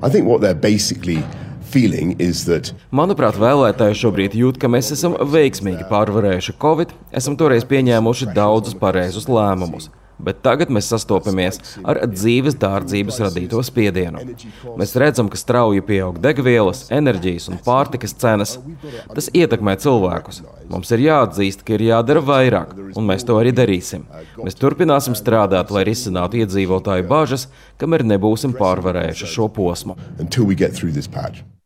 I think what they're basically feeling is that Manuprāt, vēlētāji šobrīd jūt, ka mēs esam veiksmīgi pārvarējuši Covid, esam toreiz pieņēmuši daudzus pareizus lēmumus. Bet tagad mēs sastopamies ar dzīves dārdzības radīto spiedienu. Mēs redzam, ka strauji pieaug degvielas, enerģijas un pārtikas cenas. Tas ietekmē cilvēkus. Mums ir jāatzīst, ka ir jādara vairāk, un mēs to arī darīsim. Mēs turpināsim strādāt, lai risinātu iedzīvotāju bažas, kamēr nebūsim pārvarējuši šo posmu.